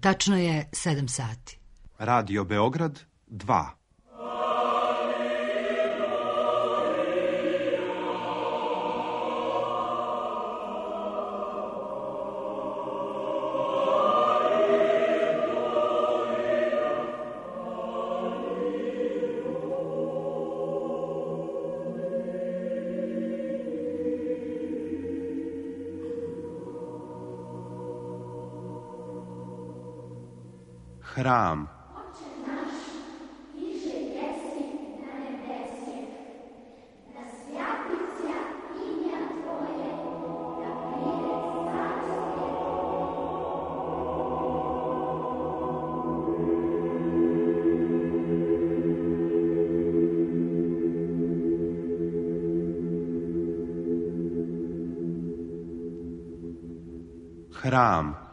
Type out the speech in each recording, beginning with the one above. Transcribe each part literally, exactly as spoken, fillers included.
Tačno je sedam sati. Radio Beograd dva. Hram. Hram.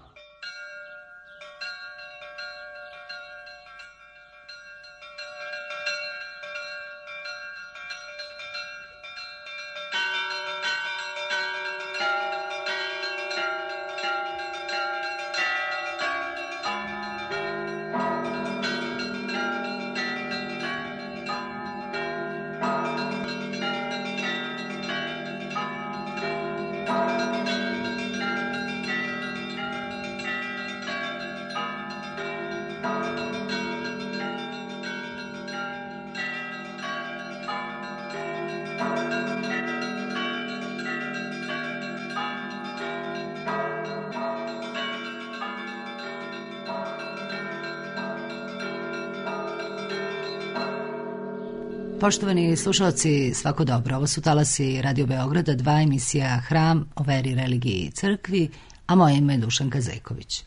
Poštovani slušalci, svako dobro. Ovo su talasi Radio Beograda, dva, emisija Hram o veri, religiji i crkvi, a moje ime je Dušanka Zejković.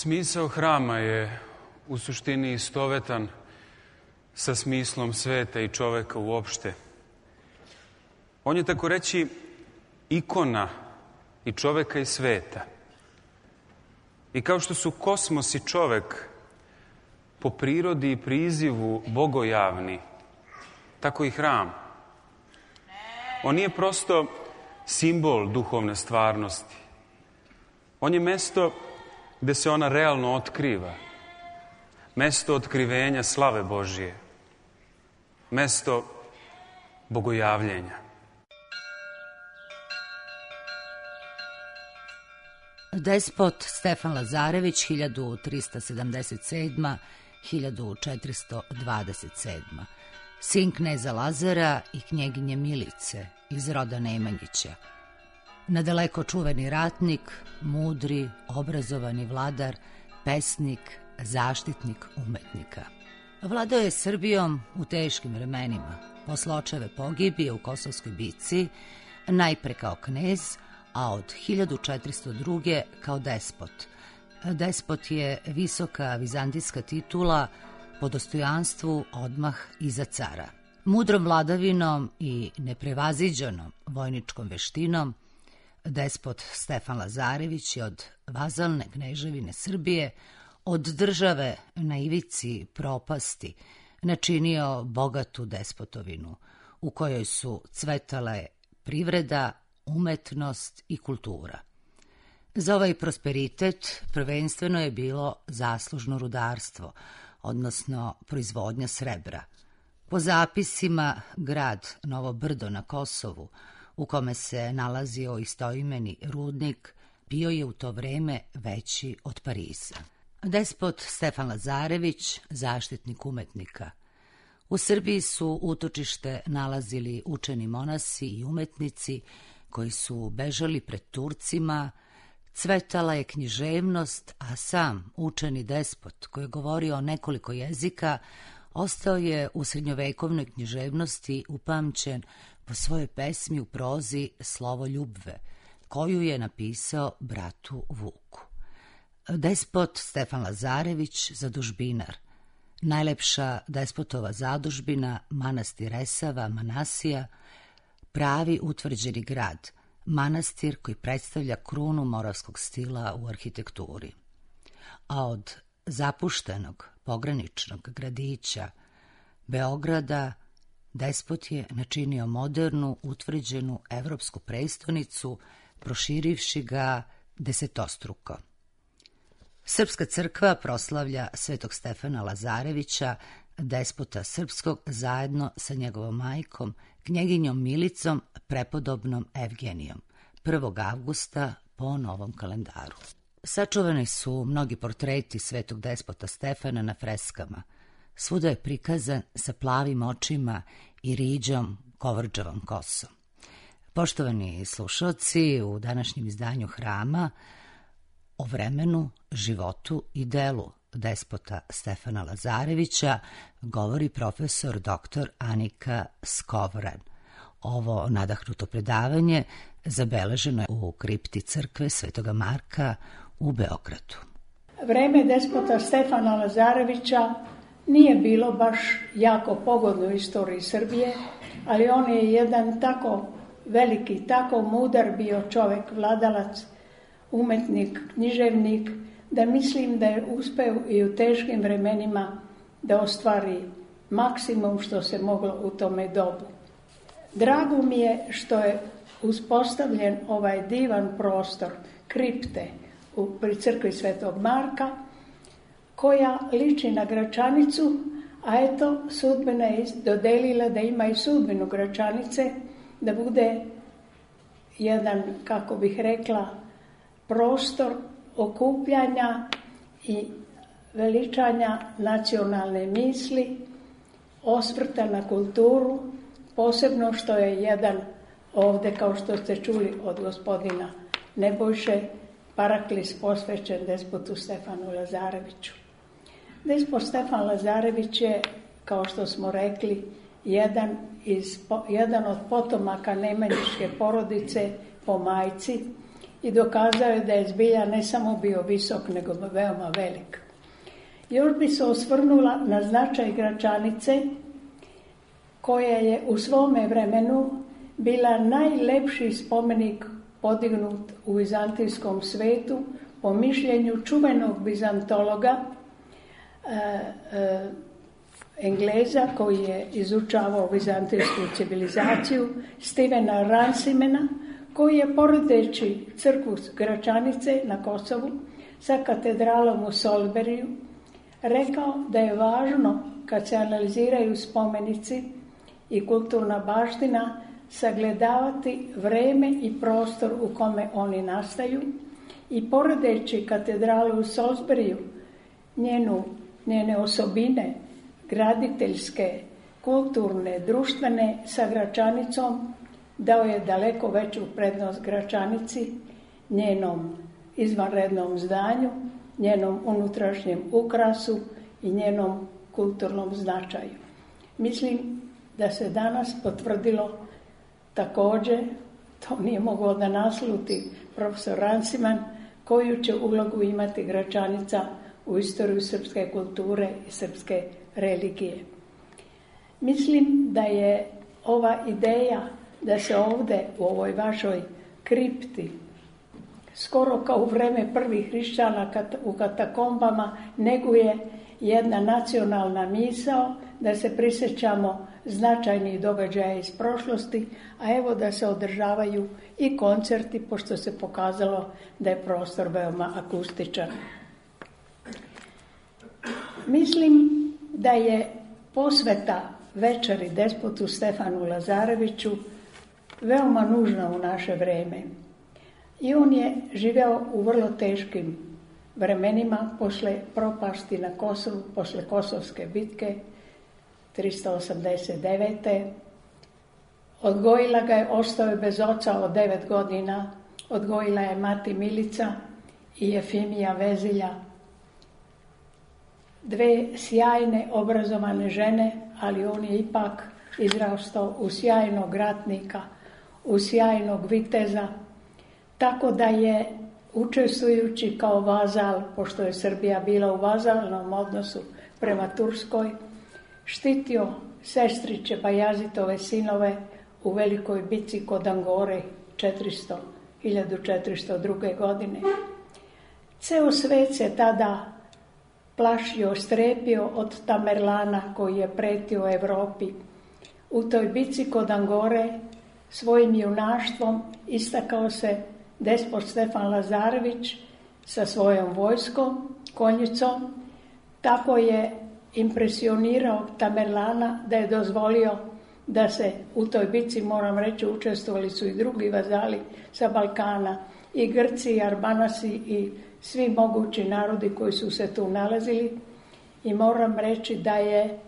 Smisao hrama je u suštini istovetan sa smislom sveta i čoveka uopšte. On je, tako reći, ikona i čoveka i sveta. I kao što su kosmos i čovek po prirodi i prizivu bogojavni, tako i hram. On nije prosto simbol duhovne stvarnosti. On je mesto gde se ona realno otkriva. Mesto otkrivenja slave Božije. Mesto bogojavljenja. Despot Stefan Lazarević, hiljadu trista sedamdeset sedma do hiljadu četiristo dvadeset sedma. Sin kneza Lazara i knjeginje Milice iz roda Nemanjića. Nadaleko čuveni ratnik, mudri, obrazovani vladar, pesnik, zaštitnik umetnika. Vladao je Srbijom u teškim vremenima. Posle očeve pogibije u Kosovskoj bici, najpre kao knez, a od hiljadu četiristo druge kao despot. Despot je visoka vizantijska titula po dostojanstvu odmah iza cara. Mudrom vladavinom i neprevaziđenom vojničkom veštinom despot Stefan Lazarević je od vazalne kneževine Srbije, od države na ivici propasti, načinio bogatu despotovinu u kojoj su cvetale privreda, umetnost i kultura. Za ovaj prosperitet prvenstveno je bilo zaslužno rudarstvo, odnosno proizvodnja srebra. Po zapisima, grad Novo Brdo na Kosovu, u kome se nalazio istoimeni rudnik, bio je u to vreme veći od Pariza. Despot Stefan Lazarević, zaštitnik umetnika. U Srbiji su utočište nalazili učeni monasi i umetnici koji su bežali pred Turcima, cvetala je književnost, a sam učeni despot, koji je govorio nekoliko jezika, ostao je u srednjovekovnoj književnosti upamćen po svojoj pesmi u prozi Slovo ljubve, koju je napisao bratu Vuku. Despot Stefan Lazarević, zadužbinar. Najlepša despotova zadužbina, manastir Resava, Manasija, pravi utvrđeni grad, manastir koji predstavlja krunu moravskog stila u arhitekturi. A od zapuštenog pograničnog gradića Beograda despot je načinio modernu, utvrđenu evropsku prestonicu, proširivši ga desetostruko. Srpska crkva proslavlja svetog Stefana Lazarevića, despota srpskog, zajedno sa njegovom majkom, knjeginjom Milicom, prepodobnom Evgenijom, prvog avgusta po novom kalendaru. Sačuvani su mnogi portreti svetog despota Stefana na freskama. Svuda je prikazan sa plavim očima i riđom kovrđavom kosom. Poštovani slušalci, u današnjem izdanju Hrama o vremenu, životu i delu despota Stefana Lazarevića govori profesor doktor Anika Skovran. Ovo nadahnuto predavanje zabeleženo je u kripti crkve Svetoga Marka u Beogradu. Vreme despota Stefana Lazarevića nije bilo baš jako pogodno u istoriji Srbije, ali on je jedan tako veliki, tako mudar bio čovjek, vladalac, umetnik, književnik, da mislim da je uspeo i u teškim vremenima da ostvari maksimum što se moglo u tome dobu. Drago mi je što je uspostavljen ovaj divan prostor kripte u, pri crkvi Svetog Marka, koja liči na Gračanicu, a eto, sudbina je dodelila da ima i sudbinu Gračanice, da bude jedan, kako bih rekla, prostor okupljanja i veličanja nacionalne misli, osvrta na kulturu, posebno što je jedan ovde, kao što ste čuli od gospodina Nebojše, paraklis posvećen despotu Stefanu Lazareviću. Despot Stefan Lazarević je, kao što smo rekli, jedan, iz, jedan od potomaka nemanjiške porodice po majci i dokazao je da je zbilja ne samo bio visok, nego veoma velik. Još bi se osvrnula na značaj Gračanice, koja je u svome vremenu bila najlepši spomenik podignut u vizantijskom svetu po mišljenju čuvenog bizantologa e, e, Engleza koji je izučavao vizantijsku civilizaciju, Stevena Ransimena, koji je poredeći crkvu Gračanice na Kosovu sa katedralom u Solberiju rekao da je važno, kad se analiziraju spomenici i kulturna baština, sagledavati vreme i prostor u kome oni nastaju i poredeći katedralu u Salisburiju, njenu, njene osobine, graditeljske, kulturne, društvene, sa Gračanicom, dao je daleko veću prednost Gračanici, njenom izvanrednom zdanju, njenom unutrašnjem ukrasu i njenom kulturnom značaju. Mislim da se danas potvrdilo također, to nije mogao da nasluti profesor Ransiman, koju će ulogu imati Gračanica u istoriju srpske kulture i srpske religije. Mislim da je ova ideja da se ovde u ovoj vašoj kripti, skoro kao u vreme prvih hrišćana u katakombama, neguje jedna nacionalna misao, da se prisjećamo značajnih događaja iz prošlosti, a evo da se održavaju i koncerti, pošto se pokazalo da je prostor veoma akustičan. Mislim da je posveta večeri despotu Stefanu Lazareviću veoma nužna u naše vreme. I on je živeo u vrlo teškim vremenima posle propasti na Kosovu, posle Kosovske bitke tristo osamdeset devete. Odgojila ga je, ostao je bez oca od devet godina, odgojila je mati Milica i Jefimija Vezilja. Dve sjajne, obrazovane žene, ali on je ipak izrastao u sjajnog ratnika, u sjajnog viteza, tako da je učestvujući kao vazal, pošto je Srbija bila u vazalnom odnosu prema Turskoj, štitio sestriće Bajazitove sinove u velikoj bitci kod Angore hiljadu četiristo druge. godine. Ceo svet se tada plašio, strepio od Tamerlana koji je pretio Evropi. U toj bitci kod Angore svojim junaštvom istakao se despot Stefan Lazarević sa svojom vojskom, konjicom. Tako je impresionirao Tamerlana da je dozvolio da se u toj bitci, moram reći, učestvovali su i drugi vazali sa Balkana, i Grci, i Arbanasi, i svi mogući narodi koji su se tu nalazili. I moram reći da je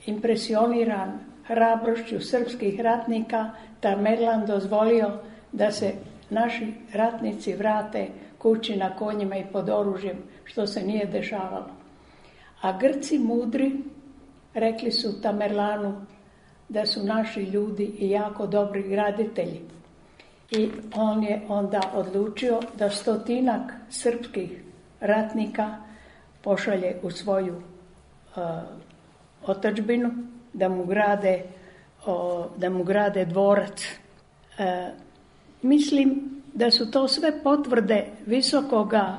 impresioniran hrabrošću srpskih ratnika Tamerlan dozvolio da se naši ratnici vrate kući na konjima i pod oružjem, što se nije dešavalo. A Grci mudri rekli su Tamerlanu da su naši ljudi i jako dobri graditelji. I on je onda odlučio da stotinak srpskih ratnika pošalje u svoju uh, otadžbinu da mu grade, uh, da mu grade dvorac. Uh, mislim da su to sve potvrde visokoga,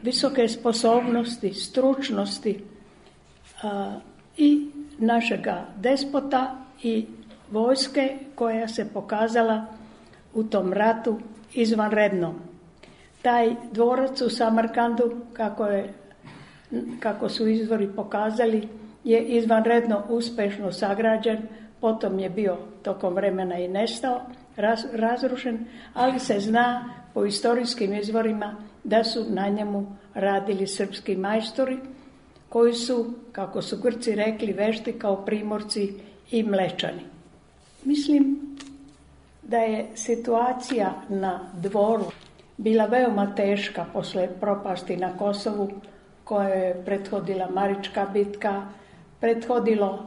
visoke sposobnosti, stručnosti uh, i našega despota i vojske koja se pokazala u tom ratu izvanredno. Taj dvorac u Samarkandu, kako, je, kako su izvori pokazali, je izvanredno uspešno sagrađen, potom je bio tokom vremena i nestao, raz, razrušen, ali se zna po istorijskim izvorima da su na njemu radili srpski majstori, koji su, kako su Grci rekli, vešti kao Primorci i Mlečani. Mislim da je situacija na dvoru bila veoma teška posle propasti na Kosovu, koja je prethodila Marička bitka, prethodilo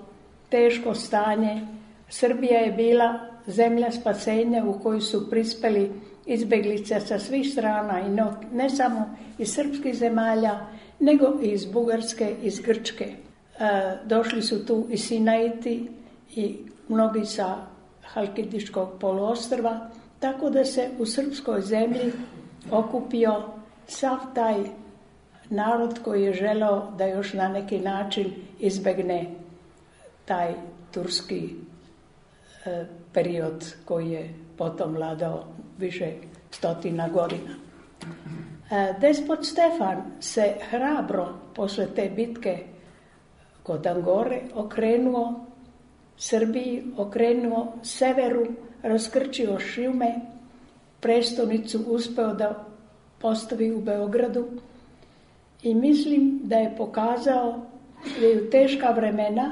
teško stanje. Srbija je bila zemlja spasenja u kojoj su prispeli izbeglice sa svih strana, i no, ne samo iz srpskih zemalja, nego i iz Bugarske, iz Grčke. E, došli su tu i Sinaiti i mnogi sa Halkidiškog poluostrva, tako da se u srpskoj zemlji okupio sav taj narod koji je želeo da još na neki način izbegne taj turski e, period koji je potom vladao više stotina godina. E, despot Stefan se hrabro posle te bitke kod Angore okrenuo Srbiji, okrenuo severu, raskrčio šume, prestonicu uspeo da postavi u Beogradu i mislim da je pokazao da je u teška vremena,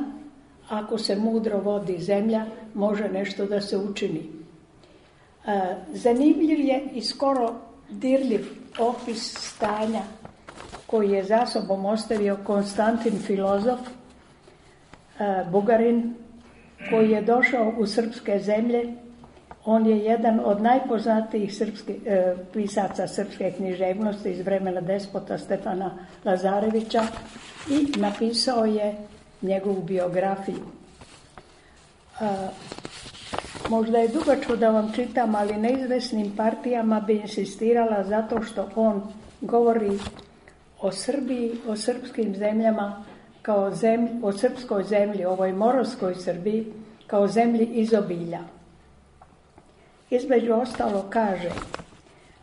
ako se mudro vodi zemlja, može nešto da se učini. E, zanimljiv je i skoro dirljiv opis stanja koji je za sobom ostavio Konstantin Filozof, e, Bugarin, koji je došao u srpske zemlje. On je jedan od najpoznatijih srpski, e, pisaca srpske književnosti iz vremena despota Stefana Lazarevića i napisao je njegovu biografiju. E, možda je dugačko da vam čitam, ali neizvesnim partijama bi insistirala zato što on govori o Srbiji, o srpskim zemljama, kao zemlji, o srpskoj zemlji, ovoj morovskoj Srbiji, kao zemlji izobilja. Između ostalo kaže: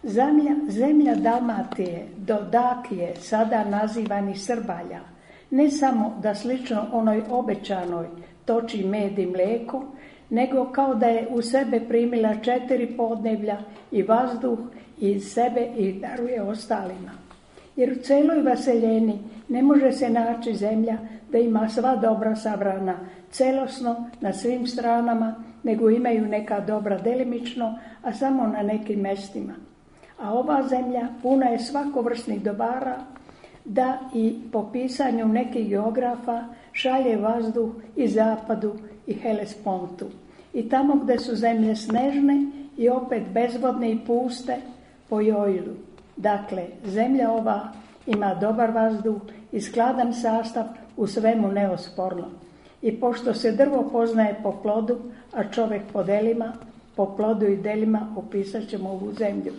zemlja, zemlja Dalmatije do Dakije, sada nazivani Srbalja, ne samo da slično onoj obećanoj toči med i mlijeko, nego kao da je u sebe primila četiri podneblja i vazduh iz sebe i daruje ostalima. Jer u celoj vaseljeni ne može se naći zemlja da ima sva dobra sabrana celosno na svim stranama, nego imaju neka dobra delimično, a samo na nekim mestima. A ova zemlja puna je svakovrsnih dobara, da i po pisanju nekih geografa šalje vazduh i zapadu i Helespontu. I tamo gde su zemlje snežne i opet bezvodne i puste po Joilu. Dakle, zemlja ova ima dobar vazduh i skladan sastav, u svemu neosporno. I pošto se drvo poznaje po plodu, a čovek po delima, po plodu i delima opisat ćemo ovu zemlju.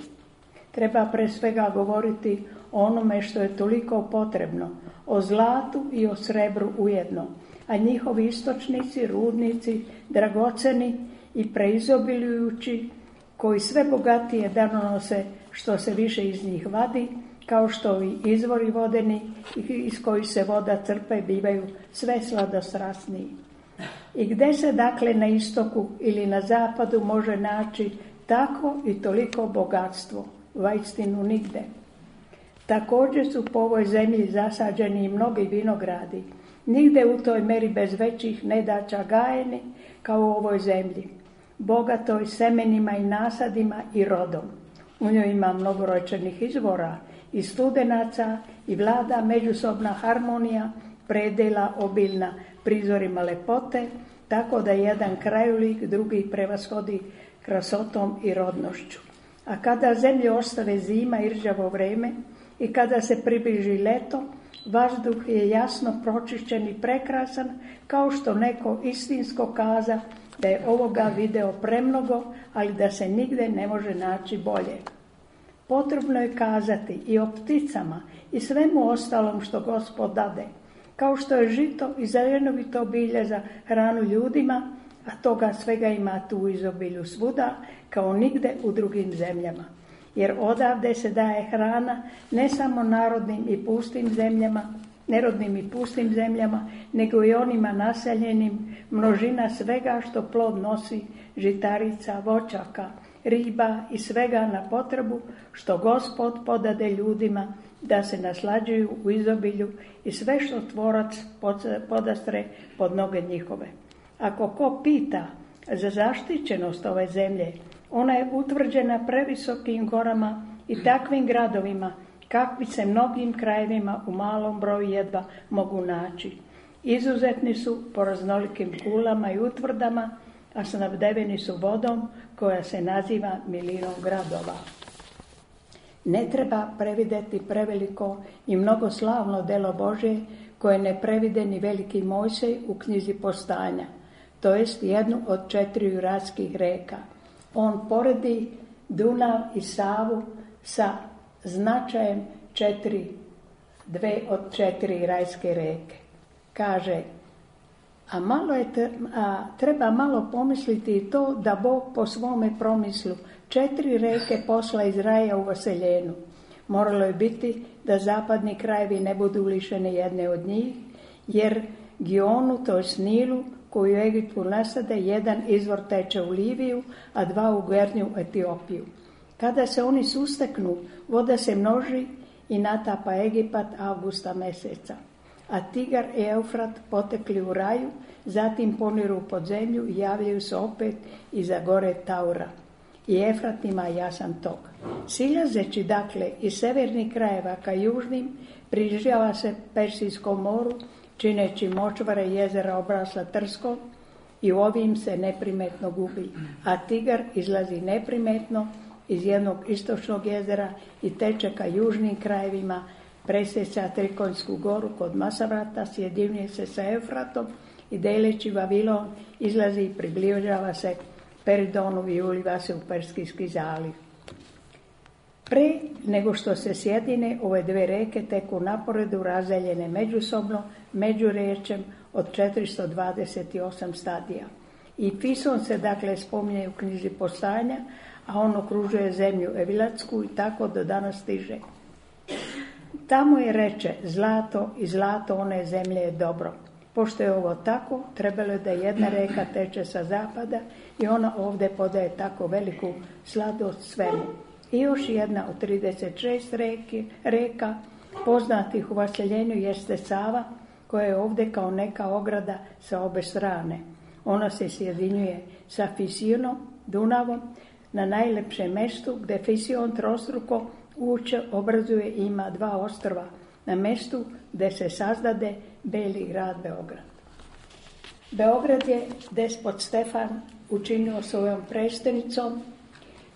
Treba pre svega govoriti o onome što je toliko potrebno, o zlatu i o srebru ujedno, a njihovi istočnici, rudnici, dragoceni i preizobiljujući, koji sve bogatije danonose što se više iz njih vadi, kao što i izvori vodeni iz kojih se voda crpe bivaju sve sladostrasniji. I gde se dakle na istoku ili na zapadu može naći tako i toliko bogatstvo? Vaistinu nigde. Također su po ovoj zemlji zasađeni i mnogi vinogradi, nigde u toj meri bez većih nedaća gajeni kao u ovoj zemlji, bogatoj semenima i nasadima i rodom. U njoj ima mnogoročenih izvora i studenaca i vlada međusobna harmonija, predela obilna prizorima lepote, tako da jedan krajolik drugi prevashodi krasotom i rodnošću. A kada zemlju ostave zima i rđavo vreme i kada se približi leto, vazduh je jasno pročišćen i prekrasan, kao što neko istinsko kaza da je ovoga video premnogo, ali da se nigde ne može naći bolje. Potrebno je kazati i o pticama i svemu ostalom što Gospod dade, kao što je žito i zelenovito bilje za hranu ljudima, a toga svega ima tu u izobilju svuda, kao nigde u drugim zemljama. Jer odavde se daje hrana ne samo narodnim i pustim zemljama, nerodnim i pustim zemljama, nego i onima naseljenim, množina svega što plod nosi, žitarica, voćaka, riba i svega na potrebu što Gospod podade ljudima da se naslađuju u izobilju i sve što tvorac podastre pod noge njihove. Ako ko pita za zaštićenost ove zemlje, ona je utvrđena previsokim gorama i takvim gradovima, kakvi se mnogim krajevima u malom broju jedva mogu naći. Izuzetni su po raznolikim kulama i utvrdama, a snabdeveni su vodom koja se naziva milinom gradova. Ne treba prevideti preveliko i mnogo slavno delo Božje, koje ne previde ni veliki Mojsej u knjizi Postanja, to jest jednu od četiri juratskih reka. On poredi Dunav i Savu sa značajem četiri, dve od četiri rajske reke. Kaže, a, malo je, a treba malo pomisliti i to da Bog po svome promislu četiri reke posla iz raja u vaseljenu. Moralo je biti da zapadni krajevi ne budu lišeni jedne od njih, jer Gionu, to je Nilu, koju u Egiptu nasade, jedan izvor teče u Liviju, a dva u Gernju Etiopiju. Kada se oni susteknu, voda se množi i natapa Egipat avgusta meseca. A Tigar i Eufrat potekli u raju, zatim poniru pod zemlju i javljaju se opet iza gore Taura. I Efrat ima jasan tok. Silazeći dakle iz severnih krajeva ka južnim, približava se Persijskom moru, čineći močvare jezera obrasla trskom i u ovim se neprimetno gubi. A Tigar izlazi neprimetno iz jednog istočnog jezera i teče ka južnim krajevima, presjeća Trikonjsku goru kod Masavrata, sjedinjuje se sa Eufratom i deleći Vavilon izlazi i približava se Peridonu i uliva se u Perskijski zaliv. Pre nego što se sjedine, ove dve reke teku naporedu razdaljene međusobno, međurečjem od četiristo dvadeset osam stadija. I Pison se dakle spominje u knjizi Postanja, a on okružuje zemlju Evilatsku i tako do danas stiže. Tamo je reče zlato i zlato one zemlje je dobro. Pošto je ovo tako, trebalo je da jedna reka teče sa zapada i ona ovdje podaje tako veliku sladost svemu. I još jedna od trideset šest reki, reka poznatih u vaseljenju jeste Sava, koja je ovdje kao neka ograda sa obe strane. Ona se sjedinjuje sa Fisionom, Dunavom, na najlepšem mestu gdje Fision trostruko uče obrazuje i ima dva ostrva na mestu gdje se sazdade Beli grad Beograd. Beograd je despot Stefan učinio svojom prestenicom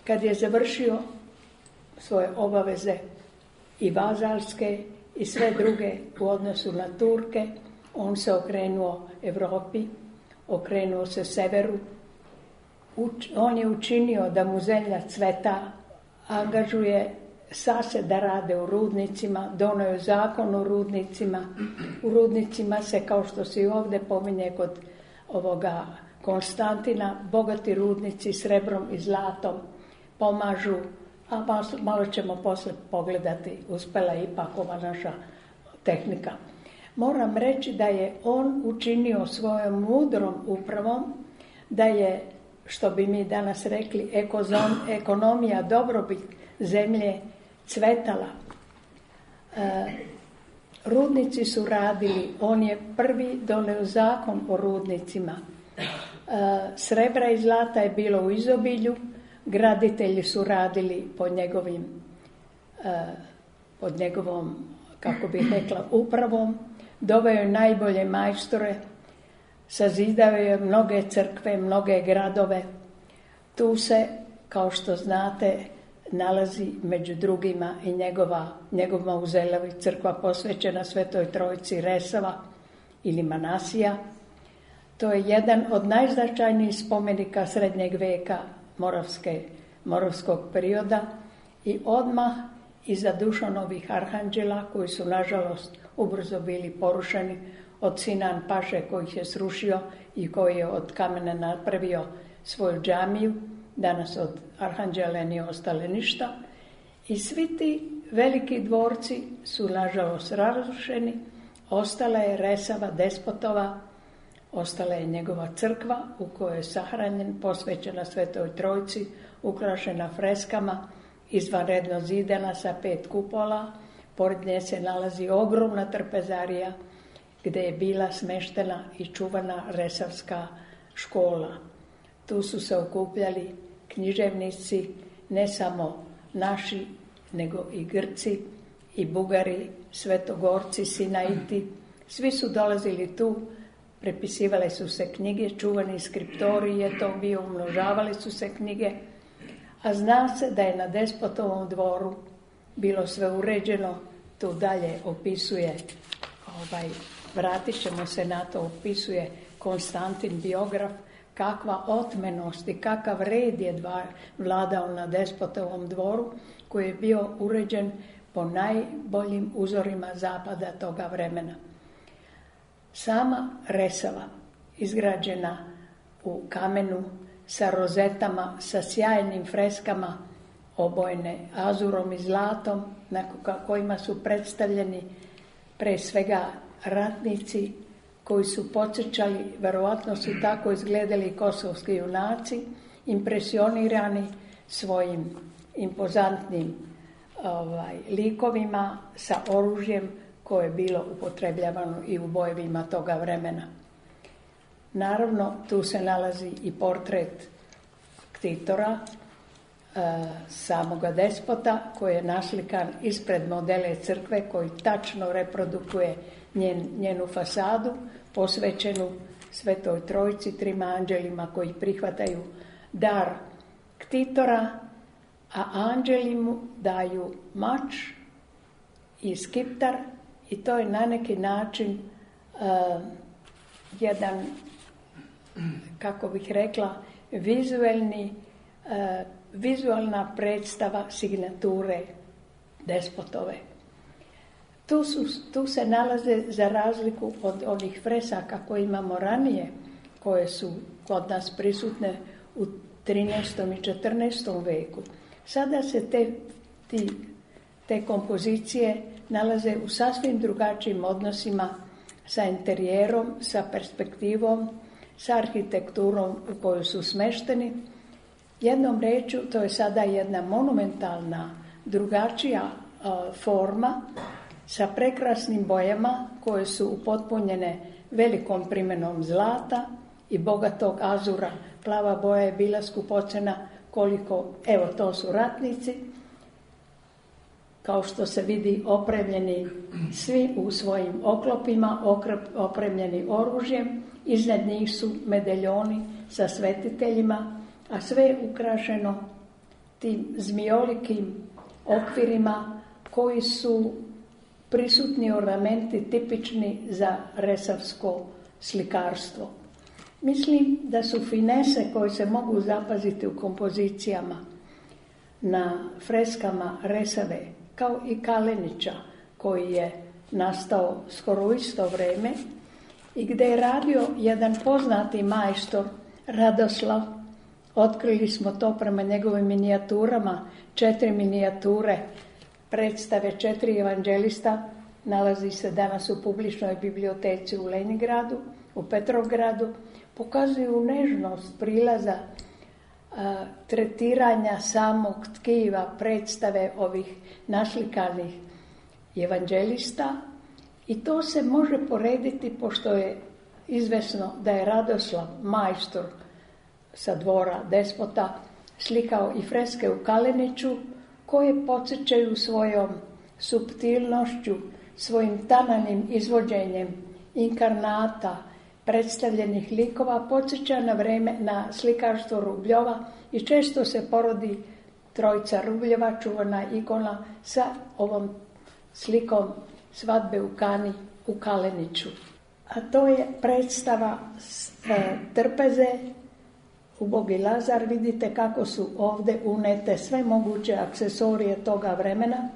kad je završio svoje obaveze i vazalske i sve druge u odnosu na Turke. On se okrenuo Evropi, okrenuo se severu. Uč, on je učinio da mu zemlja cveta, angažuje sase da rade u rudnicima, donio je zakon o rudnicima. U rudnicima se, kao što se i ovdje pominje kod ovoga Konstantina, bogati rudnici srebrom i zlatom pomažu, a malo, malo ćemo posle pogledati, uspela je ipak ova naša tehnika. Moram reći da je on učinio svojom mudrom upravom, da je, što bi mi danas rekli, ekozon, ekonomija dobrobit zemlje cvetala. E, rudnici su radili, on je prvi doneo zakon o rudnicima. E, srebra i zlata je bilo u izobilju, graditelji su radili pod njegovim, e, pod njegovom, kako bih rekla, upravom. Doveo je najbolje majstore, sazidao je mnoge crkve, mnoge gradove. Tu se, kao što znate, nalazi među drugima i njegova, njegov mauzelev, crkva posvećena Svetoj Trojici Resava ili Manasija. To je jedan od najznačajnijih spomenika srednjeg veka Moravske, Moravskog perioda i odmah iza Dušanovih arhanđela, koji su nažalost ubrzo bili porušeni od Sinan Paše koji ih je srušio i koji je od kamena napravio svoju džamiju. Danas od arhanđela nije ostale ništa. I svi ti veliki dvorci su nažalost razrušeni. Ostala je Resava despotova, ostala je njegova crkva u kojoj je sahranjen, posvećena Svetoj Trojici, ukrašena freskama, izvanredno zidana sa pet kupola. Pored nje se nalazi ogromna trpezarija gdje je bila smeštena i čuvana Resavska škola. Tu su se okupljali književnici, ne samo naši, nego i Grci, i Bugari, Svetogorci, Sinaiti. Svi su dolazili tu, prepisivale su se knjige, čuvani skriptori je to bio, umnožavali su se knjige, a zna se da je na despotovom dvoru bilo sve uređeno. Tu dalje opisuje, ovaj, vratit ćemo se na to, opisuje Konstantin biograf, kakva otmenost i kakav red je dva, vladao na despotovom dvoru, koji je bio uređen po najboljim uzorima zapada toga vremena. Sama Resava, izgrađena u kamenu, sa rozetama, sa sjajnim freskama, obojene azurom i zlatom, na kojima su predstavljeni pre svega ratnici koji su podsjećali, verovatno su tako izgledali kosovski junaci, impresionirani svojim impozantnim ovaj, likovima sa oružjem koje je bilo upotrebljavano i u bojevima toga vremena. Naravno, tu se nalazi i portret Ktitora, e, samoga despota, koji je naslikan ispred modele crkve, koji tačno reprodukuje njen, njenu fasadu, posvećenu Svetoj Trojici, trima anđelima koji prihvataju dar Ktitora, a anđeli mu daju mač i skiptar, i to je na neki način uh, jedan, kako bih rekla, vizualni, uh, vizualna predstava signature despotove. Tu, su, tu se nalaze, za razliku od onih fresaka koje imamo ranije, koje su kod nas prisutne u trinaestom i četrnaestom veku. Sada se te, ti te kompozicije nalaze u sasvim drugačijim odnosima sa interijerom, sa perspektivom, sa arhitekturom u kojoj su smešteni. Jednom rečju, to je sada jedna monumentalna, drugačija uh, forma sa prekrasnim bojama koje su upotpunjene velikom primenom zlata i bogatog azura. Plava boja je bila skupocena koliko, evo to su ratnici, kao što se vidi opremljeni svi u svojim oklopima, opremljeni oružjem, iznad njih su medaljoni sa svetiteljima, a sve je ukrašeno tim zmijolikim okvirima koji su prisutni ornamenti tipični za resavsko slikarstvo. Mislim da su finese koje se mogu zapaziti u kompozicijama na freskama Resave, kao i Kalenića koji je nastao skoro u isto vreme i gdje je radio jedan poznati majstor Radoslav. Otkrili smo to prema njegovim minijaturama, četiri minijature predstave četiri evanđelista, nalazi se danas u publičnoj biblioteci u Leningradu, u Petrovgradu, pokazuju nežnost prilaza a, tretiranja samog tkiva predstave ovih naslikanih evanđelista i to se može porediti, pošto je izvesno da je Radoslav majstor sa dvora Despota slikao i freske u Kaleniću koje podsjećaju svojom suptilnošću, svojim tananim izvođenjem inkarnata, predstavljenih likova, podsjeća na vreme na slikarstvo Rubljova i često se porodi trojica Rubljeva, čuvana ikona, sa ovom slikom svadbe u Kani u Kaleniću. A to je predstava e, trpeze, Ubogi Lazar. Vidite kako su ovdje unete sve moguće aksesorije toga vremena,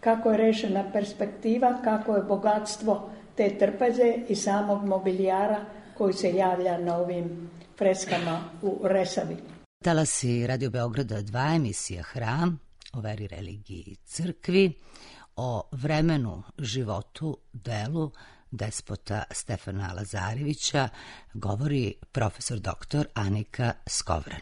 kako je rešena perspektiva, kako je bogatstvo te trpeze i samog mobilijara koji se javlja na ovim freskama u Resavi. Talasi Radio Beograda dva, emisija Hram, o veri, religiji i crkvi, o vremenu, životu, delu despota Stefana Lazarevića govori profesor doktor Anika Skovran.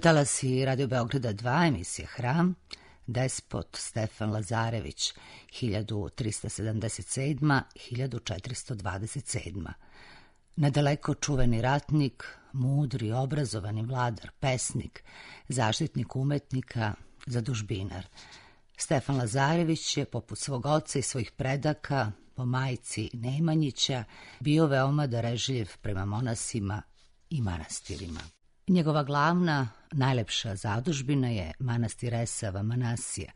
Talasi Radio Beograda dva, emisija Hram, despot Stefan Lazarević, hiljadu trista sedamdeset sedma do hiljadu četiristo dvadeset sedma. Nadaleko čuveni ratnik, mudri, obrazovani vladar, pesnik, zaštitnik umetnika, zadužbinar. Stefan Lazarević je, poput svog oca i svojih predaka, po majci Nemanjića, bio veoma darežljiv prema monasima i manastirima. Njegova glavna, najlepša zadužbina je manastir Resava Manasija.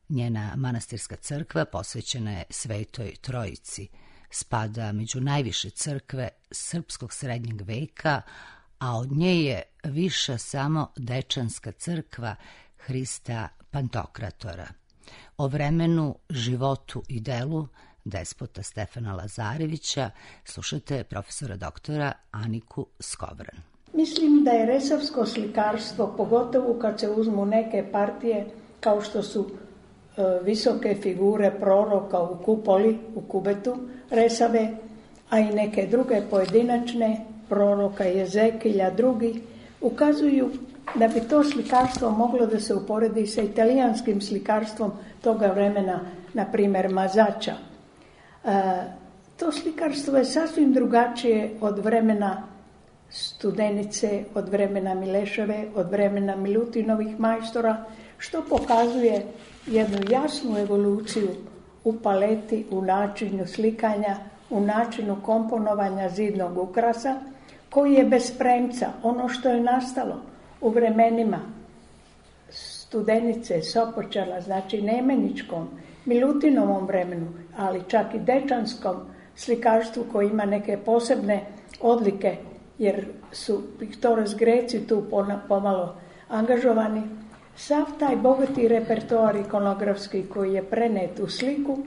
Njena manastirska crkva posvećena je Svetoj Trojici. Spada među najviše crkve srpskog srednjeg veka, a od nje je viša samo Dečanska crkva Hrista Pantokratora. O vremenu, životu i delu despota Stefana Lazarevića slušate profesora doktora Aniku Skovran. Mislim da je resavsko slikarstvo, pogotovo kad se uzmu neke partije kao što su e, visoke figure proroka u kupoli, u kubetu Resave, a i neke druge pojedinačne, proroka Jezekilja, drugi, ukazuju da bi to slikarstvo moglo da se uporedi sa italijanskim slikarstvom toga vremena, na primjer Mazača. E, to slikarstvo je sasvim drugačije od vremena Studenice, od vremena Mileševe, od vremena Milutinovih majstora, što pokazuje jednu jasnu evoluciju u paleti, u načinu slikanja, u načinu komponovanja zidnog ukrasa, koji je bez premca, ono što je nastalo u vremenima Studenice, Sopočala, znači Nemeničkom, Milutinovom vremenu, ali čak i Dečanskom slikarstvu koji ima neke posebne odlike, jer su Pictores Greci tu pomalo angažovani. Sav taj bogati repertoar ikonografski koji je prenet u sliku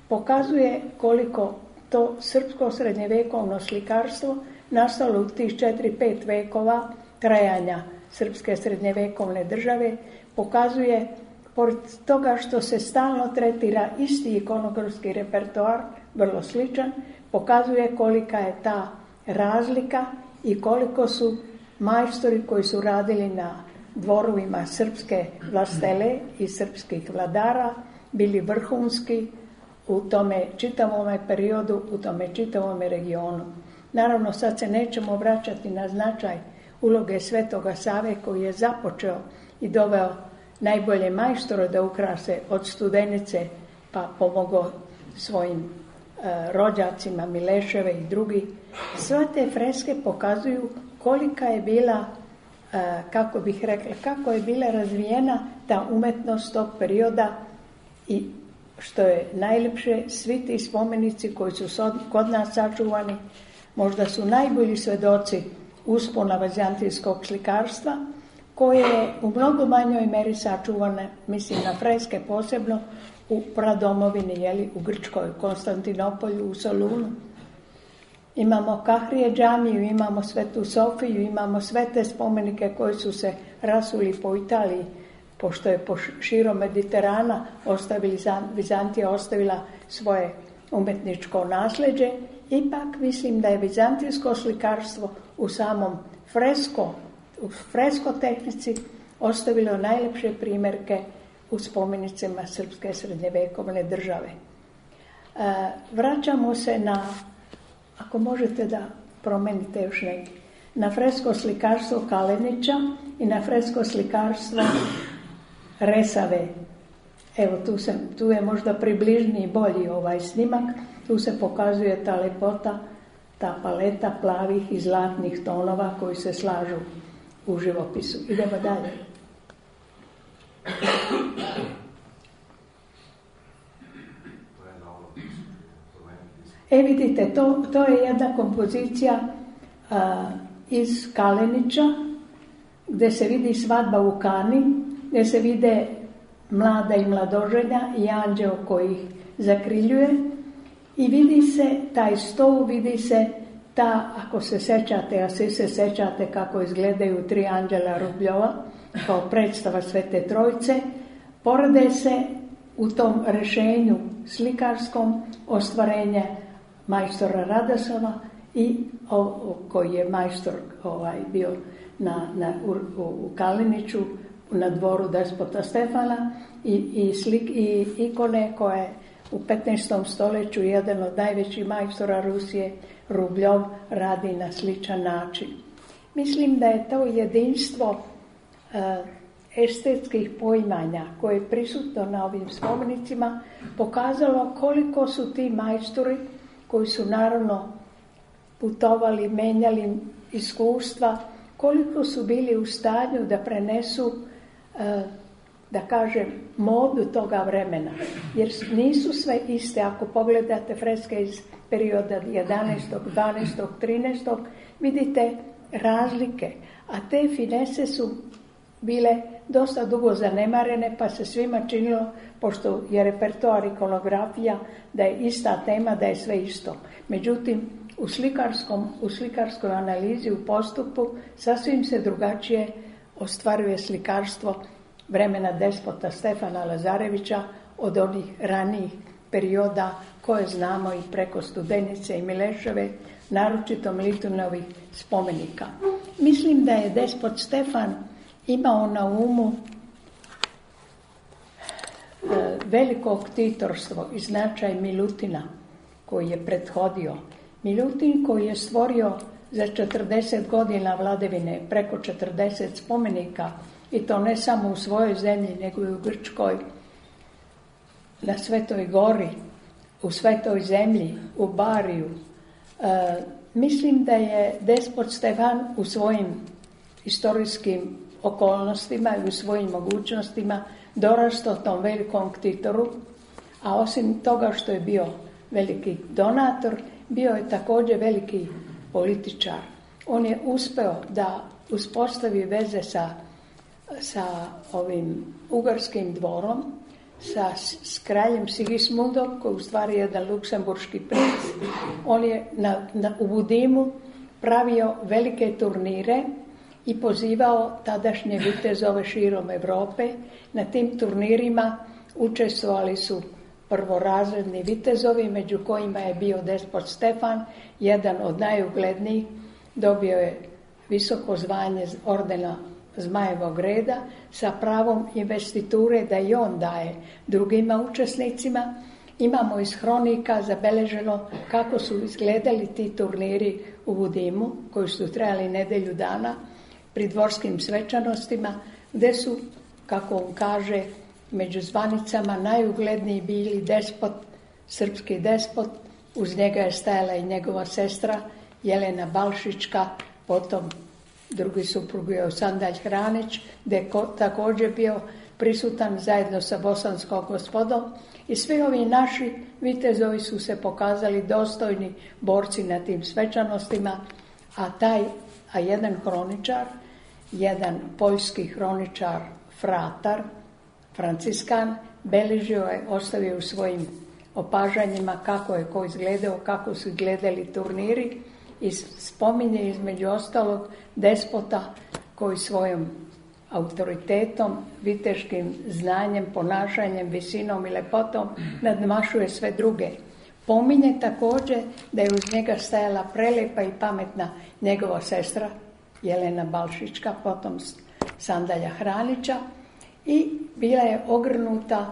pokazuje koliko to srpsko srednjevekovno slikarstvo nastalo u tih četiri pet vekova trajanja srpske srednjevekovne države, pokazuje, pored toga što se stalno tretira isti ikonografski repertoar, vrlo sličan, pokazuje kolika je ta razlika i koliko su majstori koji su radili na dvorovima srpske vlastele i srpskih vladara bili vrhunski u tome čitavom periodu, u tome čitavom regionu. Naravno, sad se nećemo vraćati na značaj uloge Svetoga Save koji je započeo i doveo najbolje majstore da ukrase od Studenice, pa pomogao svojim e, rođacima Mileševe i drugi. Sve te freske pokazuju kolika je bila, e, kako bih rekla, kako je bila razvijena ta umetnost tog perioda i što je najljepše, svi ti spomenici koji su kod nas sačuvani, možda su najbolji svedoci uspona vizantijskog slikarstva, koje je u mnogo manjoj meri sačuvane, mislim na freske posebno, u pradomovini, jeli, u Grčkoj, u Konstantinopolju, u Solunu. Imamo Kahrije džamiju, imamo Svetu Sofiju, imamo sve te spomenike koji su se rasuli po Italiji, pošto je po širom Mediterana ostavili, Vizantija ostavila svoje umetničko nasljeđe. Ipak mislim da je vizantijsko slikarstvo u samom fresko, u fresko tehnici ostavilo najlepše primjerke u spomenicima srpske srednjevekovne države. E, vraćamo se na, ako možete da promenite još neki, na fresko slikarstvo Kalenića i na fresko slikarstvo Resave. Evo, tu, se, tu je možda približniji bolji ovaj snimak. Tu se pokazuje ta lepota, ta paleta plavih i zlatnih tonova koji se slažu u živopisu. Idemo dalje. E vidite, to, to je jedna kompozicija a, iz Kalenića, gdje se vidi svadba u Kani, gdje se vide mlada i mladoženja i anđeo koji ih zakriljuje i vidi se taj stol, vidi se ta, ako se sećate, a svi se sećate kako izgledaju tri anđela Rubljova kao predstava Svete Trojice, porede se u tom rešenju slikarskom ostvarenje majstora Radosona i o, o, koji je majstor ovaj, bio na, na, u, u Kaleniću na dvoru despota Stefana i, i, slik, i ikone koje u petnaestom stoljeću jedan od najvećih majstora Rusije, Rubljov, radi na sličan način. Mislim da je to jedinstvo e, estetskih poimanja koje je prisutno na ovim spomenicima pokazalo koliko su ti majstori koji su naravno putovali, menjali iskustva, koliko su bili u stanju da prenesu, da kažem, modu toga vremena. Jer nisu sve iste. Ako pogledate freske iz perioda jedanaestog, dvanaestog, trinaestog, vidite razlike. A te finese su bile dosta dugo zanemarene, pa se svima činilo, pošto je repertoar ikonografija, da je ista tema, da je sve isto. Međutim, u, slikarskom, u slikarskoj analizi, u postupu, sasvim se drugačije ostvaruje slikarstvo vremena despota Stefana Lazarevića od onih ranijih perioda koje znamo i preko Studenice i Mileševe, naročito Milutinovih spomenika. Mislim da je despot Stefan imao na umu veliko ktitorstvo i značaj Milutina koji je prethodio. Milutin koji je stvorio za četrdeset godina vladavine preko četrdeset spomenika, i to ne samo u svojoj zemlji, nego i u Grčkoj, na Svetoj gori, u Svetoj zemlji, u Bariju. E, mislim da je despot Stefan u svojim istorijskim okolnostima i u svojim mogućnostima dorastao tom velikom ktitoru, a osim toga što je bio veliki donator, bio je također veliki političar. On je uspeo da uspostavi veze sa, sa ovim ugarskim dvorom, sa s kraljem Sigismundom, koji je u stvari jedan luksemburški princ. On je na, na, u Budimu pravio velike turnire i pozivao tadašnje vitezove širom Europe. Na tim turnirima učestvovali su prvorazredni vitezovi, među kojima je bio despot Stefan, jedan od najuglednijih. Dobio je visoko zvanje ordena Zmajevog reda sa pravom investiture da i on daje drugima učesnicima. Imamo iz hronika zabeleženo kako su izgledali ti turniri u Budimu, koji su trajali nedelju dana, pri dvorskim svečanostima, gdje su, kako on kaže, među zvanicama najugledniji bili despot, srpski despot, uz njega je stajala i njegova sestra Jelena Balšićka, potom drugi suprug bio Sandalj Hranić, gdje je također bio prisutan zajedno sa bosanskom gospodom, i svi ovi naši vitezovi su se pokazali dostojni borci na tim svečanostima, a taj, a jedan hroničar, jedan poljski hroničar Fratar, Franciskan, beležio je, ostavio u svojim opažanjima kako je ko izgledao, kako su izgledali turniri, i spominje između ostalog despota koji svojom autoritetom, viteškim znanjem, ponašanjem, visinom i lepotom nadmašuje sve druge. Pominje također da je uz njega stajala prelepa i pametna njegova sestra Jelena Balšićka, potom Sandalja Hranića, i bila je ogrnuta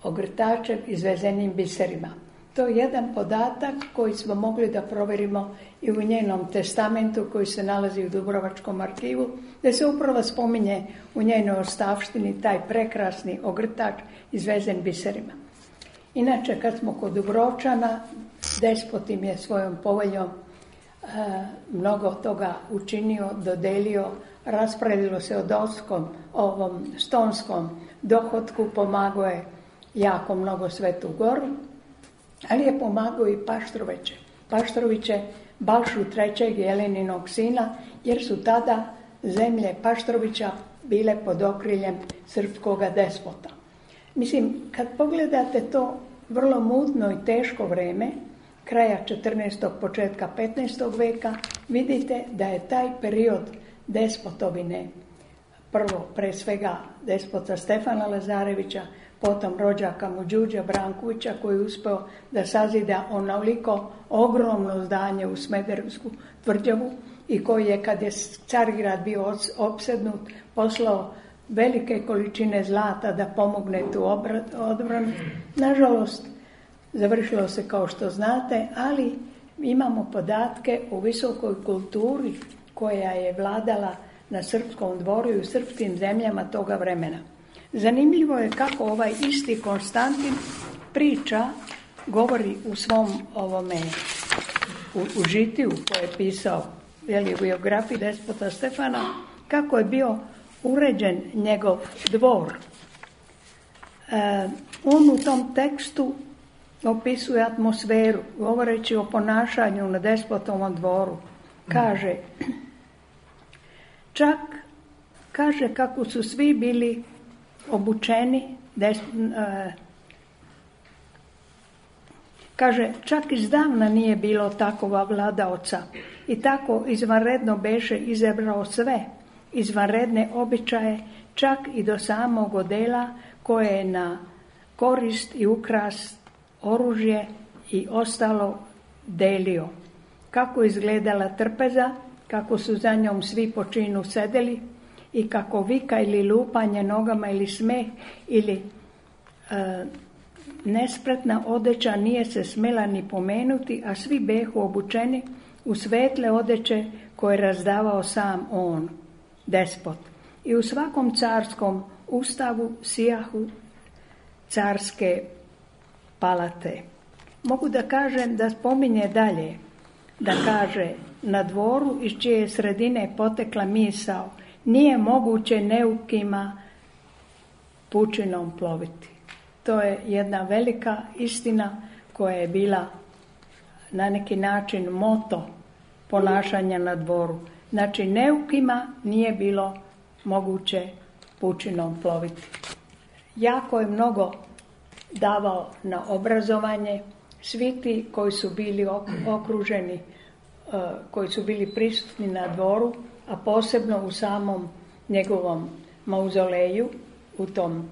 ogrtačem izvezenim biserima. To je jedan podatak koji smo mogli da provjerimo i u njenom testamentu koji se nalazi u Dubrovačkom arhivu, gdje se upravo spominje u njenoj ostavštini taj prekrasni ogrtač izvezen biserima. Inače, kad smo kod Dubrovčana, despot im je svojom poveljom e, mnogo toga učinio, dodelio, rasporedilo se o doskom, ovom stonskom dohotku, pomagao je jako mnogo Svetu Goru, ali je pomagao i Paštroviće. Paštroviće, Balšu trećeg Jeleninog sina, jer su tada zemlje Paštrovića bile pod okriljem srpskoga despota. Mislim, kad pogledate to vrlo mutno i teško vreme, kraja četrnaestog. početka petnaestog. veka, vidite da je taj period despotovine, prvo pre svega despota Stefana Lazarevića, potom rođaka mu Đuđa Brankovića, koji je uspeo da sazida onoliko ogromno zdanje u Smederevsku tvrđavu, i koji je, kad je Carigrad bio opsednut, poslao velike količine zlata da pomogne tu odbranu. Nažalost, završilo se kao što znate, ali imamo podatke o visokoj kulturi koja je vladala na srpskom dvoru i u srpskim zemljama toga vremena. Zanimljivo je kako ovaj isti Konstantin priča, govori u svom ovome, u, u žitiju koje je pisao jeli, u biografiji despota Stefana, kako je bio uređen njegov dvor. E, on u tom tekstu opisuje atmosferu, govoreći o ponašanju na despotovom dvoru. Kaže, čak, kaže kako su svi bili obučeni, des, e, kaže, čak izdavna nije bilo takova vladaoca i tako izvanredno beše izabrao sve, izvanredne običaje, čak i do samog odela koje je na korist i ukras oružje i ostalo delio. Kako izgledala trpeza, kako su za njom svi po činu sedeli i kako vika ili lupanje nogama ili smeh ili e, nespretna odeća nije se smjela ni pomenuti, a svi behu obučeni u svetle odeće koje je razdavao sam on, despot. I u svakom carskom ustavu sijahu carske palate. Mogu da kažem da spominje dalje, da kaže na dvoru iz čije sredine potekla misao, nije moguće neukima pučinom ploviti. To je jedna velika istina koja je bila na neki način moto ponašanja na dvoru. Znači, neukima nije bilo moguće pučinom ploviti. Jako je mnogo davao na obrazovanje. Svi ti koji su bili okruženi, koji su bili prisutni na dvoru, a posebno u samom njegovom mauzoleju, u tom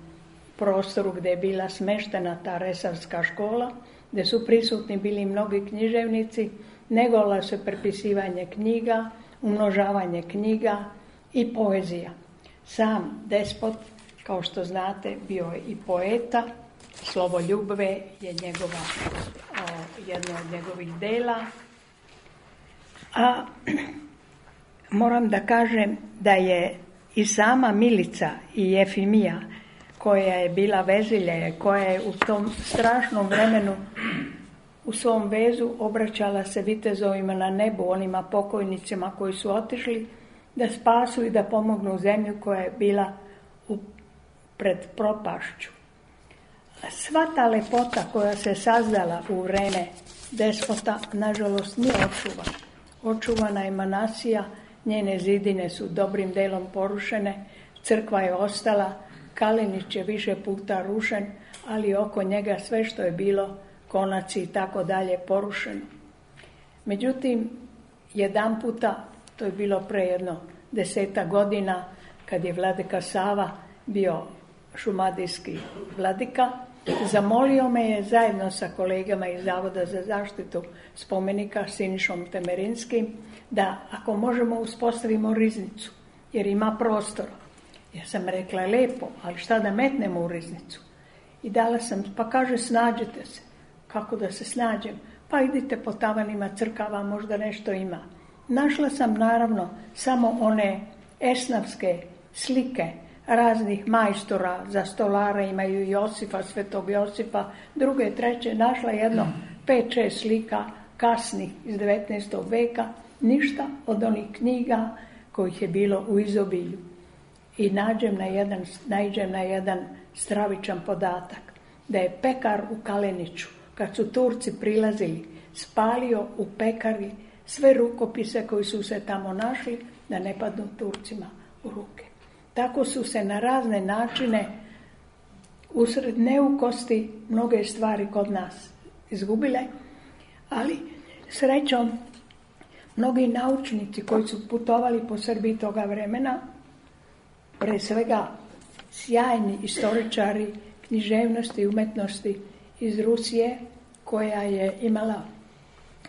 prostoru gdje je bila smeštena ta resarska škola, gdje su prisutni bili mnogi književnici, negovalo se prepisivanje knjiga, umnožavanje knjiga i poezija. Sam despot, kao što znate, bio je i poeta, Slovo ljubve je njegova, o, jedno od njegovih dela. A moram da kažem da je i sama Milica i Jefimija, koja je bila vezilje, koja je u tom strašnom vremenu u svom vezu obraćala se vitezovima na nebu, onima pokojnicima koji su otišli da spasu i da pomognu zemlju koja je bila u, pred propašću. Sva ta lepota koja se sazdala u vreme despota, nažalost, nije očuvana. Očuvana je Manasija, njene zidine su dobrim delom porušene, crkva je ostala, Kalenić je više puta rušen, ali oko njega sve što je bilo, konaci i tako dalje, porušeno. Međutim, jedan puta, to je bilo pre jedno deseta godina, kad je vladika Sava bio šumadijski vladika, zamolio me je zajedno sa kolegama iz Zavoda za zaštitu spomenika Sinišom Temerinskim da ako možemo uspostavimo riznicu, jer ima prostora. Ja sam rekla, lepo, ali šta da metnemo u riznicu? I dala sam, pa kaže, snađite se. Kako da se snađem? Pa idite po tavanima crkava, možda nešto ima. Našla sam naravno samo one esnavske slike raznih majstora za stolara, imaju Josifa, Svetog Josifa, druge, treće, našla jedno pet, šest slika kasnih iz devetnaestog veka, ništa od onih knjiga kojih je bilo u izobilju. I nađem na jedan, nađem na jedan stravičan podatak, da je pekar u Kaleniću, kad su Turci prilazili, spalio u pekari sve rukopise koji su se tamo našli, da ne padnu Turcima u ruke. Tako su se na razne načine usred neukosti mnoge stvari kod nas izgubile, ali srećom mnogi naučnici koji su putovali po Srbiji toga vremena, pre svega sjajni istoričari književnosti i umetnosti iz Rusije, koja je imala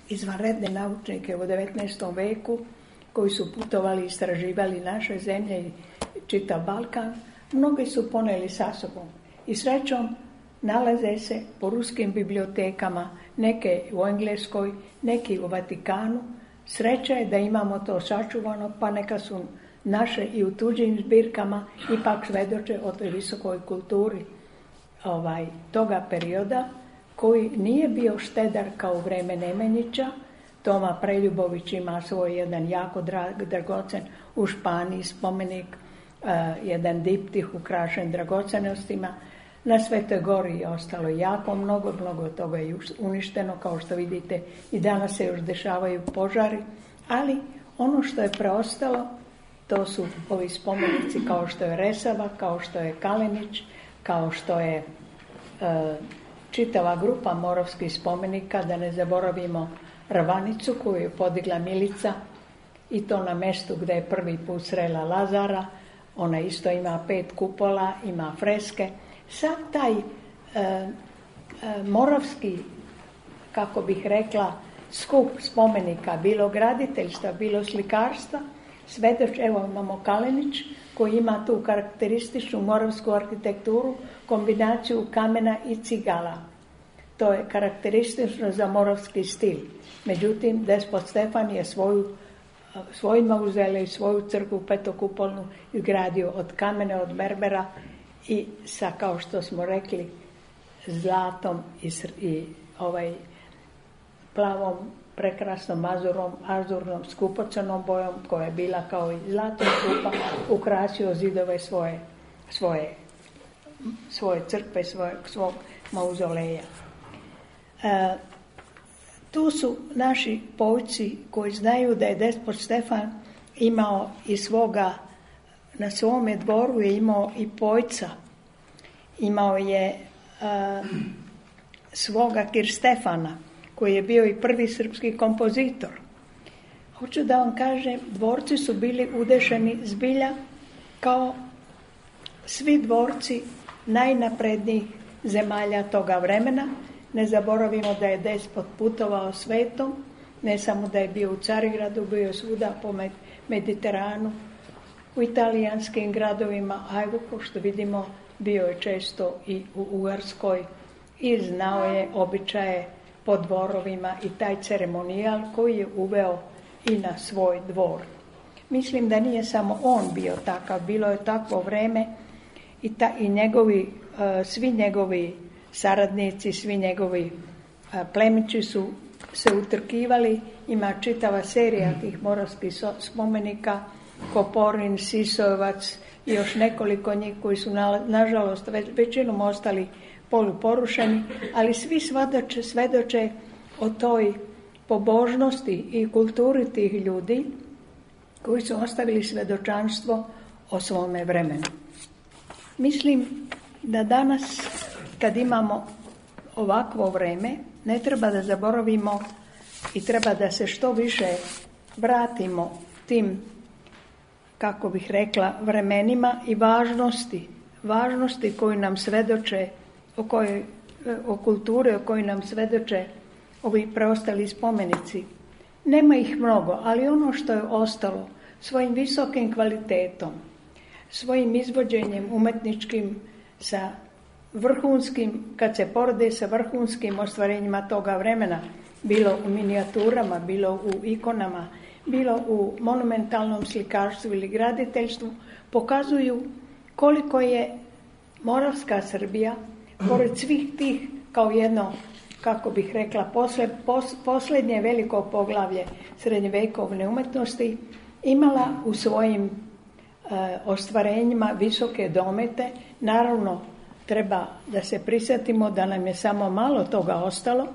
izvanredne naučnike u devetnaestom veku, koji su putovali i istraživali naše zemlje i čitav Balkan, mnogi su poneli sa sobom. I srećom nalaze se po ruskim bibliotekama, neke u Engleskoj, neki u Vatikanu. Sreća je da imamo to sačuvano, pa neka su naše i u tuđim zbirkama ipak svedoče o toj visokoj kulturi ovaj, toga perioda, koji nije bio štedar kao u vreme Nemanjića, Toma Preljubović ima svoj jedan jako dragocen u Španiji spomenik, uh, jedan diptih ukrašen dragocenostima. Na Svetoj Gori je ostalo jako mnogo, mnogo toga je uništeno, kao što vidite i danas se još dešavaju požari, ali ono što je preostalo, to su ovi spomenici kao što je Resava, kao što je Kalenić, kao što je uh, čitava grupa moravskih spomenika, da ne zaboravimo Rvanicu koju je podigla Milica i to na mestu gdje je prvi put srela Lazara. Ona isto ima pet kupola, ima freske. Sad taj e, e, moravski, kako bih rekla, skup spomenika, bilo graditeljstva, bilo slikarstva, svedoč, evo imamo Kalenić koji ima tu karakterističnu moravsku arhitekturu, kombinaciju kamena i cigala. To je karakteristično za moravski stil. Međutim, despot Stefan je svoju, svoj mauzolej, svoju crkvu petokupolnu izgradio od kamene, od merbera i sa, kao što smo rekli, zlatom i, i ovaj plavom, prekrasnom azurom, azurnom skupocrnom bojom koja je bila kao i zlatna krupa, ukrasio zidove svoje, svoje, svoje crkve, svoje, svog mauzoleja. E, tu su naši povci koji znaju da je despot Stefan imao i svoga, na svome dvoru je imao i pojca. Imao je e, svoga Kirstefana, koji je bio i prvi srpski kompozitor. Hoću da vam kažem, dvorci su bili udešeni zbilja kao svi dvorci najnaprednijih zemalja toga vremena. Ne zaboravimo da je despot putovao svetom, ne samo da je bio u Carigradu, bio je svuda po Mediteranu, u italijanskim gradovima, a evo, kao što vidimo, bio je često i u Ugarskoj i znao je običaje po dvorovima i taj ceremonijal koji je uveo i na svoj dvor. Mislim da nije samo on bio takav, bilo je takvo vreme i, ta, i njegovi, uh, svi njegovi saradnici, svi njegovi uh, plemići su se utrkivali. Ima čitava serija tih moravskih so, spomenika, Koporin, Sisojevac i još nekoliko njih koji su na, nažalost ve, većinom ostali poluporušeni, ali svi svedoče, svedoče o toj pobožnosti i kulturi tih ljudi koji su ostavili svedočanstvo o svome vremenu. Mislim da danas, kad imamo ovakvo vreme, ne treba da zaboravimo i treba da se što više vratimo tim, kako bih rekla, vremenima i važnosti, važnosti koju nam svedoče o, kojoj, o kulturi, o kojoj nam svedoče ovi preostali spomenici. Nema ih mnogo, ali ono što je ostalo svojim visokim kvalitetom, svojim izvođenjem umetničkim sa vrhunskim, kad se porede sa vrhunskim ostvarenjima toga vremena, bilo u minijaturama, bilo u ikonama, bilo u monumentalnom slikarstvu ili graditeljstvu, pokazuju koliko je Moravska Srbija, pored svih tih, kao jedno, kako bih rekla, posle, pos, posljednje veliko poglavlje srednjevekovne umetnosti, imala u svojim e, ostvarenjima visoke domete. Naravno, treba da se prisjetimo da nam je samo malo toga ostalo.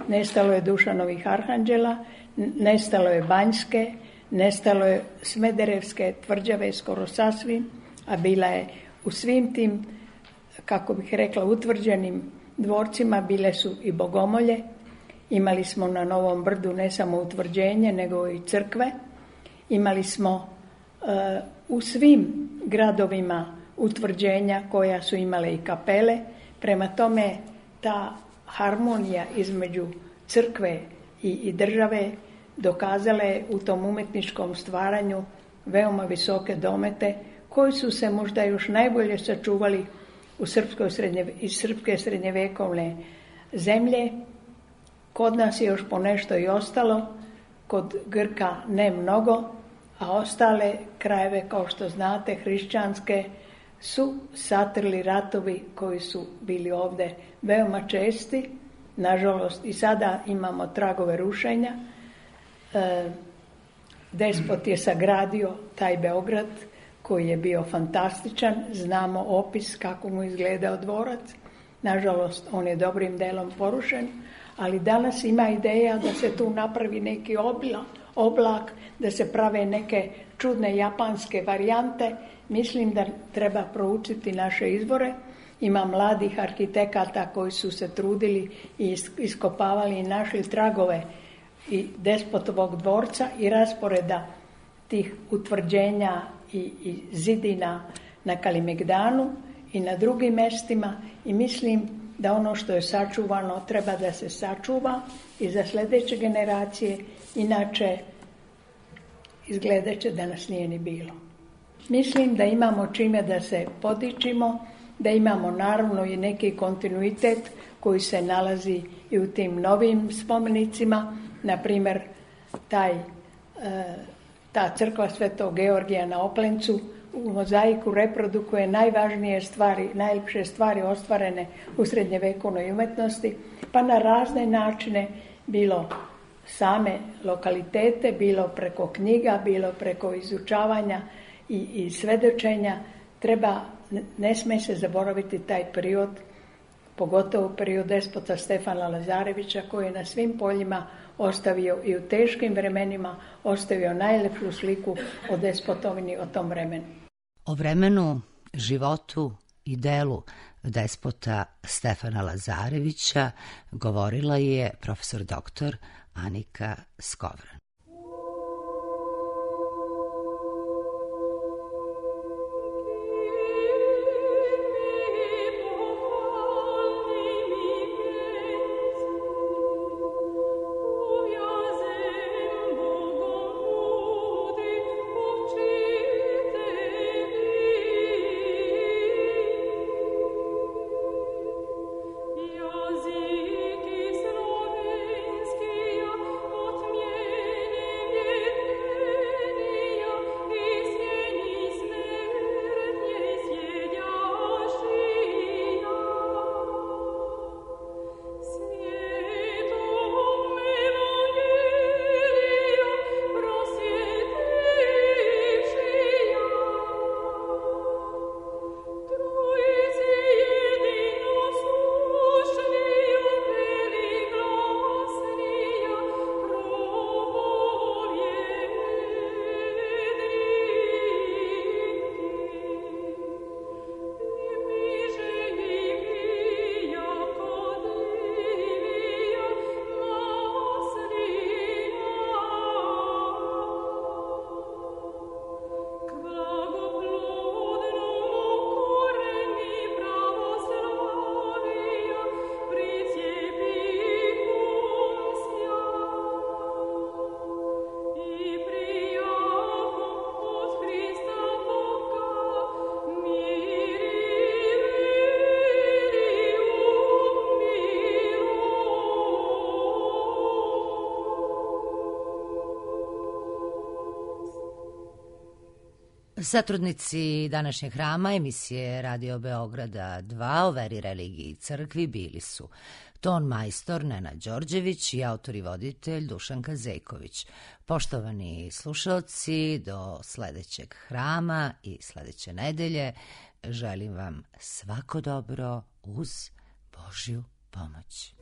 Nestalo je Dušanovih arhanđela, nestalo je Banjske, nestalo je Smederevske tvrđave skoro sasvim, a bila je u svim tim, kako bih rekla, utvrđenim dvorcima bile su i bogomolje. Imali smo na Novom Brdu ne samo utvrđenje, nego i crkve. Imali smo uh, u svim gradovima utvrđenja koja su imale i kapele. Prema tome, ta harmonija između crkve i, i države dokazala je u tom umetničkom stvaranju veoma visoke domete koji su se možda još najbolje sačuvali u srpskoj srednje, iz srpske srednjevekovne zemlje. Kod nas je još ponešto i ostalo, kod Grka ne mnogo, a ostale krajeve, kao što znate, hrišćanske, su satrli ratovi koji su bili ovde veoma česti. Nažalost, i sada imamo tragove rušenja. E, despot je sagradio taj Beograd koji je bio fantastičan. Znamo opis kako mu izgledao dvorac. Nažalost, on je dobrim delom porušen, ali danas ima ideja da se tu napravi neki oblak, oblak, da se prave neke čudne japanske varijante. Mislim da treba proučiti naše izvore. Ima mladih arhitekata koji su se trudili i iskopavali i našli tragove i despotovog dvorca i rasporeda tih utvrđenja i, i zidina na Kalimegdanu i na drugim mestima i mislim da ono što je sačuvano treba da se sačuva i za sljedeće generacije, inače izgledat će da nas nije ni bilo. Mislim da imamo čime da se podičimo, da imamo naravno i neki kontinuitet koji se nalazi i u tim novim spomenicima, na primjer taj, e, ta crkva Svetog Georgija na Oplencu u mozaiku reprodukuje najvažnije stvari, najljepše stvari ostvarene u srednjevekovnoj umetnosti, pa na razne načine, bilo same lokalitete, bilo preko knjiga, bilo preko izučavanja i, i svedočenja. Treba, ne sme se zaboraviti taj period, pogotovo period despota Stefana Lazarevića, koji je na svim poljima ostavio i u teškim vremenima ostavio najlepšu sliku o despotovini o tom vremenu. O vremenu, životu i delu despota Stefana Lazarevića govorila je profesor doktor Anika Skovran. Satrudnici današnjeg hrama emisije Radio Beograda dva o veri, religiji i crkvi bili su ton majstor Nenad Đorđević i autor i voditelj Dušanka Zejković. Poštovani slušalci, do sledećeg hrama i sledeće nedelje želim vam svako dobro uz Božju pomoć.